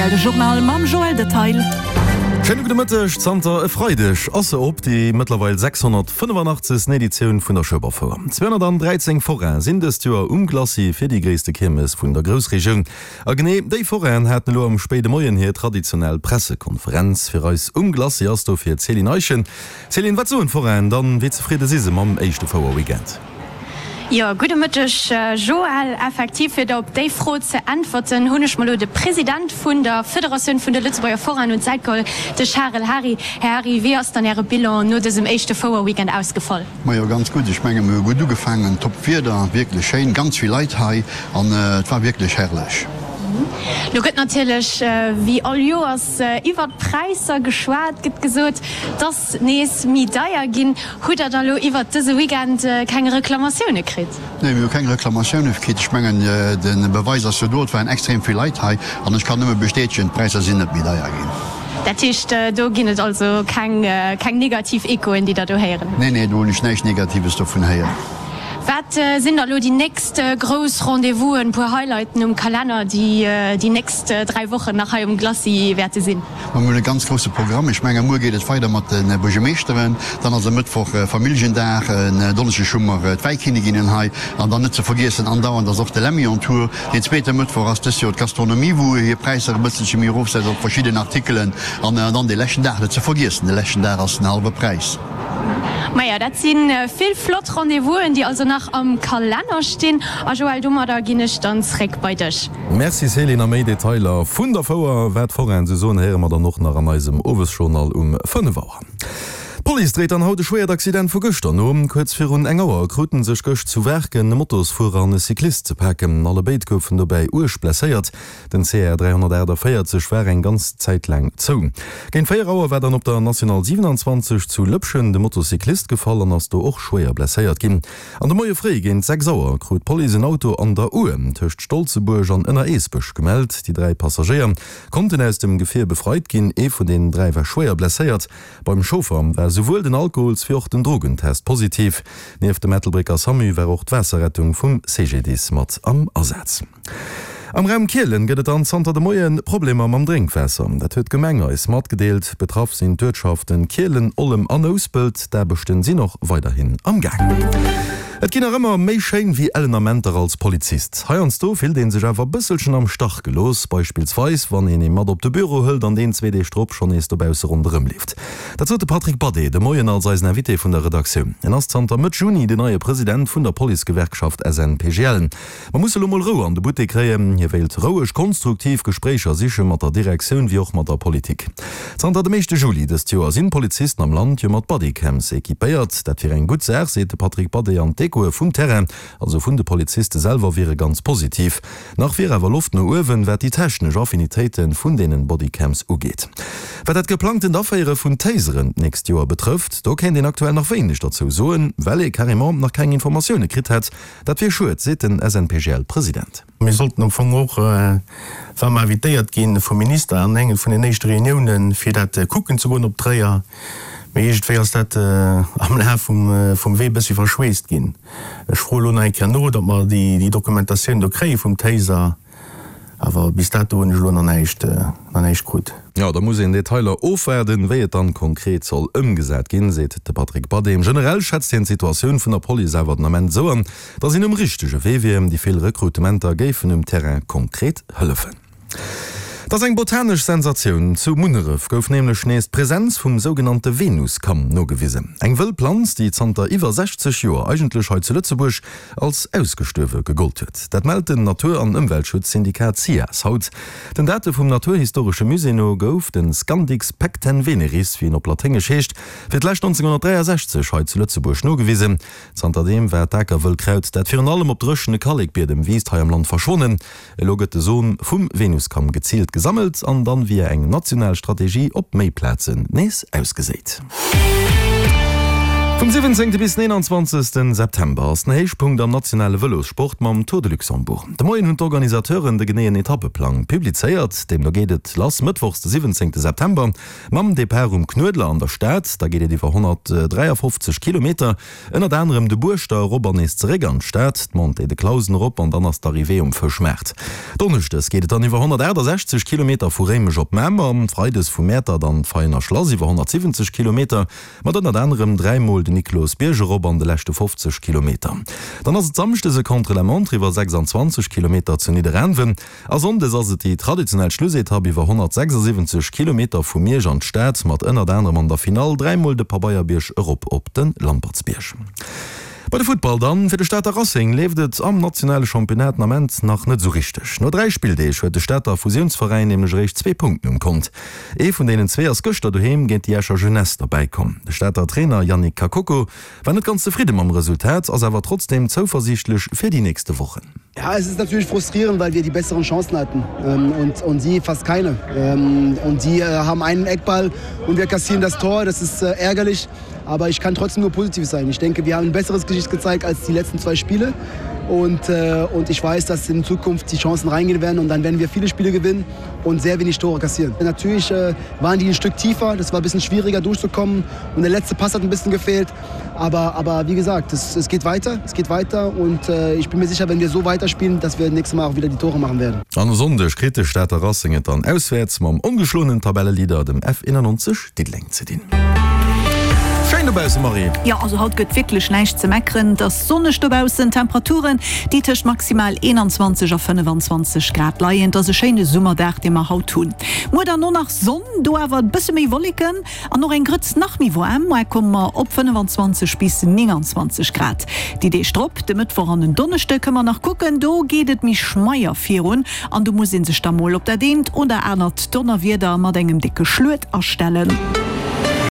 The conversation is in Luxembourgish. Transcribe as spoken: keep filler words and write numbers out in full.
rtl, de Journal mam Joël Detail. Schéine gudde Mëtteg. Zanter e Freideg ass se op, déi mëttlerweil sechshonnertfënnefanachtzesten Editioun vun der Schueberfouer. Zweehonnertandräizéng Forainen sinn dëst Joer um Glacis fir déi gréisste Kiermes vun der Groussregioun. A genee déi Forainen haten elo am spéide Moien hir traditionell Pressekonferenz. Fir eis um Glacis ass dofir d'Céline Eischen. Céline, wat soen d'Forainen dann? Wéi zefridde si se mam éischte Fouer-Weekend? Jo, gudde Mëtteg Joël. Effektiv, fir der op déi Fro ze äntwerten, hunn ech mer elo de President vun der Federatioun vun de Lëtzebuerger Forainen un d'Säit geholl, de Charel Hary. Här Hary, wéi ass dann Äre Bilan no dësem éischte Fouer-Weekend ausgefall? Majo, ganz gutt. Ech menge mir hu gutt ugefaangen, top Wieder, wierklech schéin, ganz vill Leit hei an et war wierklech herrlech. Lo gëtt natierlech wéi all Joers iwwert d'Präisser geschwat, gëtt gesot, dass nees méi deier ginn. Hutt der da lo iwwert dëse Weekend keng Reklamatioune kritt? Nee, mir hu keng Reklamatioune kritt. Ech mengen, de Beweis ass jo do, et waren extrem vill Leit hei an ech kann nëmme bestätegen, d'Präisser sinn net méi deier ginn. Dat heescht, do ginn et also keng negativ Echoen, déi der do héieren hutt? Nee, nee, do hunn ech näischt Negatives dovun héieren. Wat sinn da lo déi nächst grouss Rendez-vousen, puer Highlighten um Kalenner, déi déi nächst dräi Wochen nach hei um Glacis wäerte sinn? Ma mir hunn e ganz grousse Programm. Ech menge muer geet et weider mat de Buergermeeschteren, dann ass e Mëttwoch Familljendag, en Donneschdeg hu mer d'Wäikinniginnen hei an dann net ze vergiessen andauernd ass och de Lemmy on Tour. Deen zweete Mëttwoch ass dëst Joer d'Gastronomie, wou hir Präisser e bësselche méi erofsetzt op verschidden Artikelen an dann dee leschten Dag net ze vergiessen, de leschten Dag ass den hallwe Präis. Maja, dat si vill flott Rendez-vousen, déi also nach am Kalenner stinn. A Joël, domadder ginn ech dann zréck bei dech. Merci Céline, a méi Detailer vun der Fouer, wat d'Forainen sou soen, héiere mer dann och nach an eisem Owesjournal um fënnef Auer. D'Police dréit dann haut e schwéiert Accident vu gëschter no. Kuerz virun eng Auer kruten sech gëscht zu Waarken e Motosfuerer an e Cyclist ze paken. Allebéid goufen dobäi uerg blesséiert. Den C R dräihonnertaachtavéierzeg war eng ganz Zäit laang zou. Géint véier Auer war dann op der National siwenanzwanzeg zu Lëpschen de Motocyclist gefall an ass do och schwéier blesséiert ginn. An de Moie fréi géint sechs Auer krut d'Police en Auto an der Our tëscht Stolzebuerg an Ënner-Eesbech gemellt. Déi dräi Passagéier konnten aus dem Gefier befreit ginn. Ee vun deenen dräi war schwéier blesséiert. Beim Chauffer war souwuel den Alkohols wéi och den Drogentest positiv. Nieft dem Ettelbrécker Samu war och d'Waasserrettung vum C G D I S mat am Asaz. Am Raum Kielen gëtt et dann zanter de Moie Problemer mam Drénkwaasser. Dat huet d'Gemeng eis matgedeelt. Betraff sinn d'Uertschaften Kielen, Ollem an Nouspelt. D'Aarbechten sinn och weiderhin am Gaang. Et ginn nach ëmmer méi schéin wéi ellen Amenter als Polizist. Heiansdo fillt een sech awer bësselchen am Stach gelooss, beispillsweis wann een ee mat op de Büro hëlt an deen zwee Deeg drop schonn nees dobausse ronderëm leeft. Dat sot de Patrick Badé de Moien als eisen Invité vun der Redaktioun. En ass zanter Mëtt Juni den neie President vun der Policegewerkschaft S N P G L. Mer musse lo mol Rou an de Buttek kréien. Hie wéilt roueg, konstruktiv Gespréicher siche mat der Direktioun wéi och mat der Politik. Zanter dem éischte Juli dëst Joer sinn d'Polizisten am Land jo mat Bodycams equipéiert. Dat wier eng gutt Saach, seet de Patrick Badé an d'Echoe vum Terrain, also vun de Poliziste selwer, wiere ganz positiv. Nach wier awer Loft no uewen, wat déi technesch Affinitéite vun deenen Bodycams ugeet. Wat dat geplangtent Aféiere vun Taseren d'nächst Joer betrëfft, do kéint een aktuell nach wéineg derzou soen, well ee carrément nach keng Informatioune kritt hätt. Dat wier schued, seet den S N P G L-President. Mir sollten am Fong och, wa mer invitéiert gi vum Minister, an enge vun den éischte Reuniounen, fir dat kucken ze goen op Tréier. Mee iergendwéi ass dat am Laf vum Wee e bëssi verschweesst ginn. Ech froe lo nach eng Kéier no, datt mer déi Dokumentatioun do kréie vum Taser. Awer bis dato hunn ech elo nach näischt, nach näischt krut. Jo, da muss een Detailer ofwaarden, wéi et dann konkret soll ëmgesat ginn, seet de Patrick Badé. Generell schätzt hien d'Situatioun vun der Police awer den Ament esou an, datt een um richtege Wee wier. Déi vill Rekrutementer géifen um Terrain konkret hëllefen. Et ass eng botanesch Sensatioun, Zu Munneref gouf nämlech nees d'Presenz vum sougenannte Venuskamm nogewisen. Eng wëll Planz, déi zanter iwwer sechzeg Joer eigentlech hei zu Lëtzebuerg als ausgestuerwe gegollt huet. Dat mellt den Natur an Ëmweltschutzsyndikat SIAS haut. Den Date vum Naturhistoresche Musée no gouf de Scandix pecten-veneris, wéi en op Laténgesch heescht, fir d'lescht nonzénghonnertdräiasechzeg hei zu Lëtzebuerg nogewisen. Zanterdeem war d'Akerwëllkraut, dat virun allem op dréchene Kallekbiedem wiisst, hei am Land verschwonnen. Elo gëtt de Som vum Venuskamm geziilt gesammelt an dann via eng national Strategie op méi Plazen nees ausgeséit. Vum siwwenzéngte bis den eenanzwanzegste September ass den Héichpunkt am nationale Vëlossport mam Tour de Luxembourg. De Moien hunn d'Organisateuren de geneeën Etappeplang publizéiert. Deemno geet et lass mëttwochs de siwwenzéngte September mam Depart um Knuedler an der Stad. Da geet et iwwer honnertdräiafofzeg Kilometer, ënnert anerem de Buerschter erop an nees zeréck an d'Stad, d'Montée de Clausen erop an dann ass d'Arrivée um Fëschmaart. Donneschdes geet et dann iwwer honnertaachtasechzeg Kilometer vu Réimech op Mamer, freides vu Mäertert an d'Veiener Schlass iwwer honnertsiwwenzeg Kilometer, mat ënnert anerem dräi Mol den Niklosbierg erop an de leschte fofzeg Kilometer. Dann ass et samschdes e Contre-la-montre iwwer sechsanzwanzeg Kilometer zu Nidderaanwen a sonndes ass et déi traditionell Schlussetapp iwwer honnertsechsasiwwenzeg Kilometer vu Miersch an d'Stad, mat ënnert anerem an der Finall dräi Mol de Pabeierbierg erop op de Lampertsbierg. Bei de Futtball dann, Fir de Stater Racing leeft et am nationale Championnat den Ament nach net esou richteg. No dräi Spilldeeg huet de Stater Fusiounsveräin nämlech eréischt zwee Punkten um Kont. Ee vun deenen zwee ass gëschter doheem géint déi Escher Jeunesse derbäi komm. De Stater Trainer Yannick Kakoko war net ganz zefridde mam Resultat, ass awer trotzdeem zouversiichtlech fir déi nächste Wochen. Ja, es ist natürlich frustrierend, weil wir die besseren Chancen hatten ähm, und, und sie fast keine. Ähm, und sie äh, haben einen Eckball und wir kassieren das Tor. Das ist äh, ärgerlich, aber ich kann trotzdem nur positiv sein. Ich denke, wir haben ein besseres Gesicht gezeigt als die letzten zwei Spiele. Und, äh, und ich weiß, dass in Zukunft die Chancen reingehen werden und dann werden wir viele Spiele gewinnen und sehr wenig Tore kassieren. Natürlich äh, waren die ein Stück tiefer, das war ein bisschen schwieriger durchzukommen und der letzte Pass hat ein bisschen gefehlt. Aber, aber wie gesagt, es, es geht weiter, es geht weiter und äh, ich bin mir sicher, wenn wir so weiterspielen, dass wir nächstes Mal auch wieder die Tore machen werden. An e Sonndeg kritt de Stater Racing et dann auswäerts mam ongeschloenen Tabelleleader, dem F einundneunzig Diddeleng ze dinn. Schéin dobausse Marie! Jo, also haut gëtt wierklech näischt ze meckeren. Et ass sonneg dobaussen, Temperaturen, déi tëscht maximal eenanzwanzeg a fënnefanzwanzeg Grad leien. Et ass e schéine Summerdag, dee mer haut hunn. Muer dann och nach Sonn, do awer e bësse méi Wolleken an och eng Grëtz nach méi waarm. Muer komme mer op fënnefanzwanzeg bis nénganzwanzeg Grad. Déi Deeg drop, de Mëttwoch an den Donneschde, kënne mer nach kucken, do geet et méi schmeier virun an do muss ee sech da mol op dat eent oder anert Donnerwieder mat engem décke Schluet astellen.